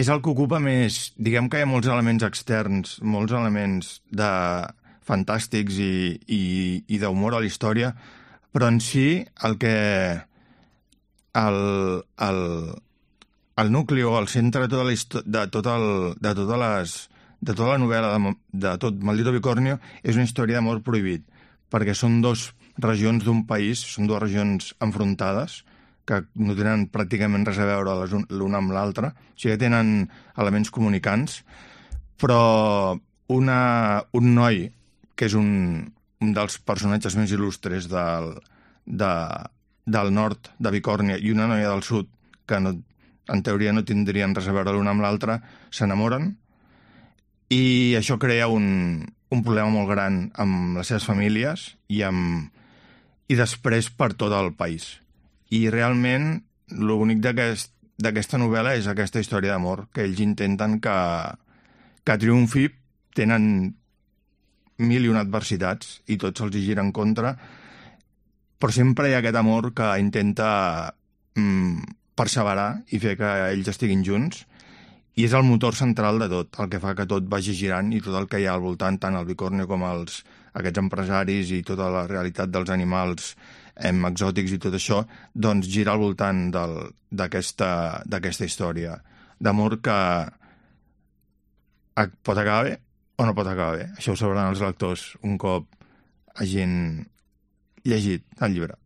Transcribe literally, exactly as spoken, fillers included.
és el que ocupa més... Diguem que hi ha molts elements externs, molts elements de fantàstics i, i, i d'humor a la història, però en si el que... El, el, el nucli o el centre de tota la, histo- de tot el, de totes les, de tota la novel·la de, de tot Maldito Bicornio és una història d'amor prohibit, perquè són dos regions d'un país, són dues regions enfrontades, que no tenen pràcticament res a veure l'una amb l'altra, o sigui que tenen elements comunicants, però una, un noi, que és un, un dels personatges més il·lustres del, de, del nord de Bicòrnia, i una noia del sud, que no, en teoria no tindrien res a veure l'una amb l'altra, s'enamoren, i això crea un, un problema molt gran amb les seves famílies i, amb, i després per tot el país. I realment l'únic d'aquest, d'aquesta novel·la és aquesta història d'amor, que ells intenten que, que triomfi, tenen mil i una adversitats i tots els hi giren contra, però sempre hi ha aquest amor que intenta mm, perseverar i fer que ells estiguin junts, i és el motor central de tot, el que fa que tot vagi girant i tot el que hi ha al voltant, tant el Bicornio com els, aquests empresaris i tota la realitat dels animals em, exòtics i tot això, doncs gira al voltant d'aquesta d'aquesta història d'amor que pot acabar bé o no pot acabar bé. Això ho sabran els lectors un cop hagin llegit el llibre.